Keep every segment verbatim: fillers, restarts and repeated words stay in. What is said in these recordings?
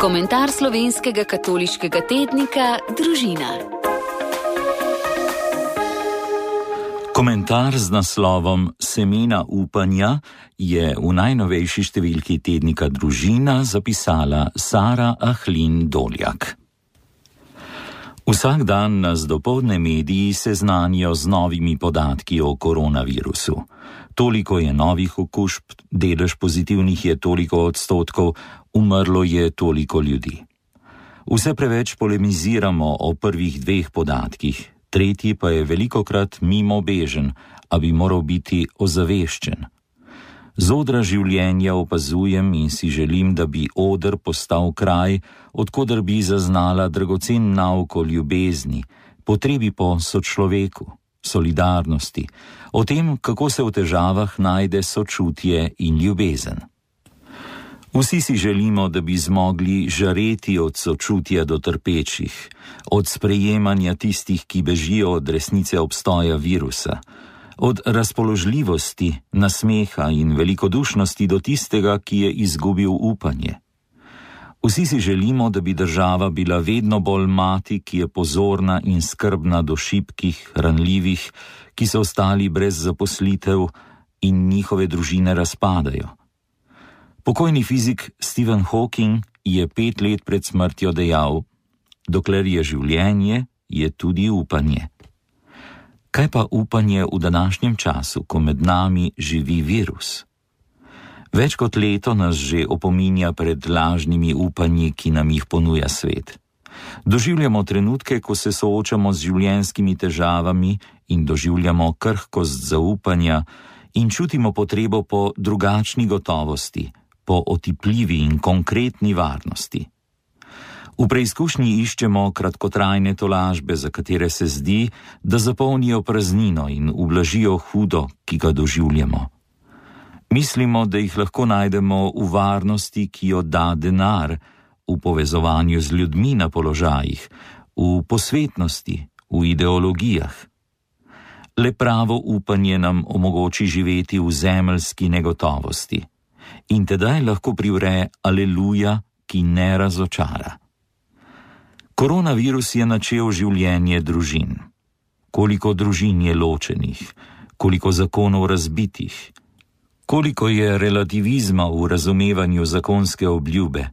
Komentar slovenskega katoliškega tednika Družina. Komentar z naslovom Semena upanja je v najnovejši številki tednika Družina zapisala Sara Ahlin Doljak. Vsak dan nas dopoldne mediji seznanijo z novimi podatki o koronavirusu. Toliko je novih okužb, delež pozitivnih je toliko odstotkov, umrlo je toliko ljudi. Vse preveč polemiziramo o prvih dveh podatkih, tretji pa je velikokrat mimobežen, a bi moral biti ozaveščen. Z odra življenja opazujem in si želim, da bi oder postal kraj, odkoder bi zaznala dragocen nauk o ljubezni, potrebi po sočloveku, solidarnosti, o tem, kako se v težavah najde sočutje in ljubezen. Vsi si želimo, da bi zmogli žareti od sočutja do trpečih, od sprejemanja tistih, ki bežijo od resnice obstoja virusa, od razpoložljivosti, nasmeha in velikodušnosti do tistega, ki je izgubil upanje. Vsi si želimo, da bi država bila vedno bolj mati, ki je pozorna in skrbna do šibkih, ranljivih, ki so ostali brez zaposlitev in njihove družine razpadajo. Pokojni fizik Stephen Hawking je pet let pred smrtjo dejal: dokler je življenje, je tudi upanje. Kaj pa upanje v današnjem času, ko med nami živi virus? Več kot leto nas že opominja pred lažnimi upanji, ki nam jih ponuja svet. Doživljamo trenutke, ko se soočamo z življenjskimi težavami in doživljamo krhkost zaupanja in čutimo potrebo po drugačni gotovosti, po otipljivi in konkretni varnosti. V preizkušnji iščemo kratkotrajne tolažbe, za katere se zdi, da zapolnijo praznino in ublažijo hudo, ki ga doživljamo. Mislimo, da jih lahko najdemo v varnosti, ki jo da denar, v povezovanju z ljudmi na položajih, v posvetnosti, v ideologijah. Le pravo upanje nam omogoči živeti v zemeljski negotovosti. In tedaj lahko privre aleluja, ki ne razočara. Koronavirus je načel življenje družin. Koliko družin je ločenih, koliko zakonov razbitih, koliko je relativizma v razumevanju zakonske obljube.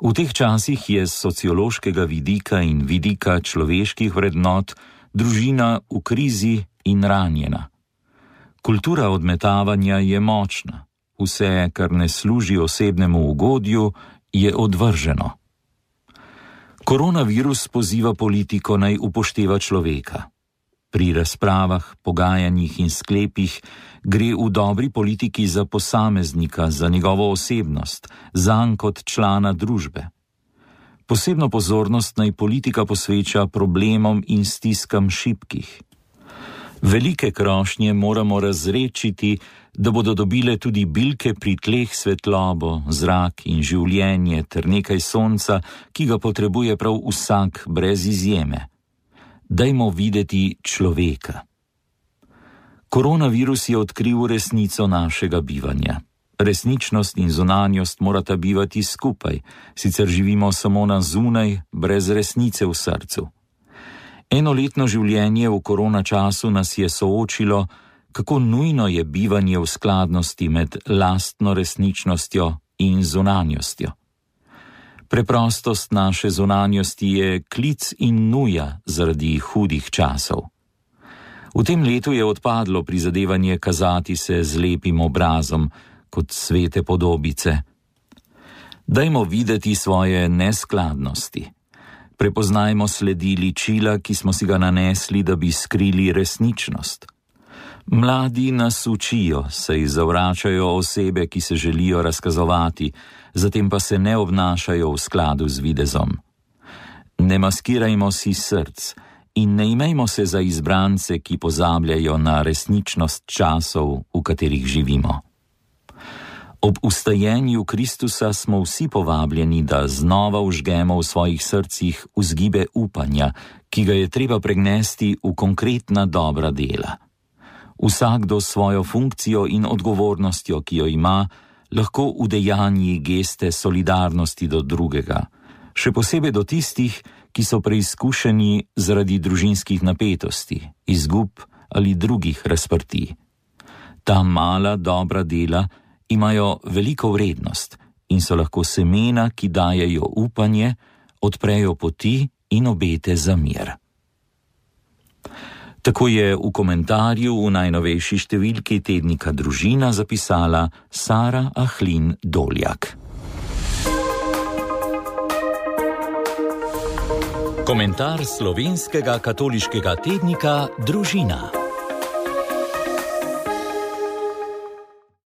V teh časih je z sociološkega vidika in vidika človeških vrednot družina v krizi in ranjena. Kultura odmetavanja je močna. Vse, kar ne služi osebnemu ugodju, je odvrženo. Koronavirus poziva politiko naj upošteva človeka. Pri razpravah, pogajanjih in sklepih gre v dobri politiki za posameznika, za njegovo osebnost, zanj kot člana družbe. Posebno pozornost naj politika posveča problemom in stiskam šibkih. Velike krošnje moramo razrečiti, da bodo dobile tudi bilke pri tleh svetlobo, zrak in življenje ter nekaj sonca, ki ga potrebuje prav vsak brez izjeme. Dajmo videti človeka. Koronavirus je odkril resnico našega bivanja. Resničnost in zunanjost morata bivati skupaj, sicer živimo samo na zunaj, brez resnice v srcu. Enoletno življenje v korona času nas je soočilo, kako nujno je bivanje v skladnosti med lastno resničnostjo in zunanjostjo. Preprostost naše zunanjosti je klic in nuja zaradi hudih časov. V tem letu je odpadlo prizadevanje kazati se z lepim obrazom, kot svete podobice. Dajmo videti svoje neskladnosti. Prepoznajmo sledi ličila, ki smo si ga nanesli, da bi skrili resničnost. Mladi nas učijo, saj zavračajo osebe, ki se želijo razkazovati, zatem pa se ne obnašajo v skladu z videzom. Ne maskirajmo si src in ne imejmo se za izbrance, ki pozabljajo na resničnost časov, v katerih živimo. Ob ustajenju Kristusa smo vsi povabljeni, da znova vžgemo v svojih srcih vzgibe upanja, ki ga je treba pregnesti v konkretna dobra dela. Vsakdo svojo funkcijo in odgovornostjo, ki jo ima, lahko udejanji geste solidarnosti do drugega, še posebej do tistih, ki so preizkušeni zaradi družinskih napetosti, izgub ali drugih razprtij. Ta mala, dobra dela imajo veliko vrednost in so lahko semena, ki dajejo upanje, odprejo poti in obete za mir. Tako je v komentarju v najnovejši številki tednika Družina zapisala Sara Ahlin Doljak. Komentar slovenskega katoliškega tednika Družina.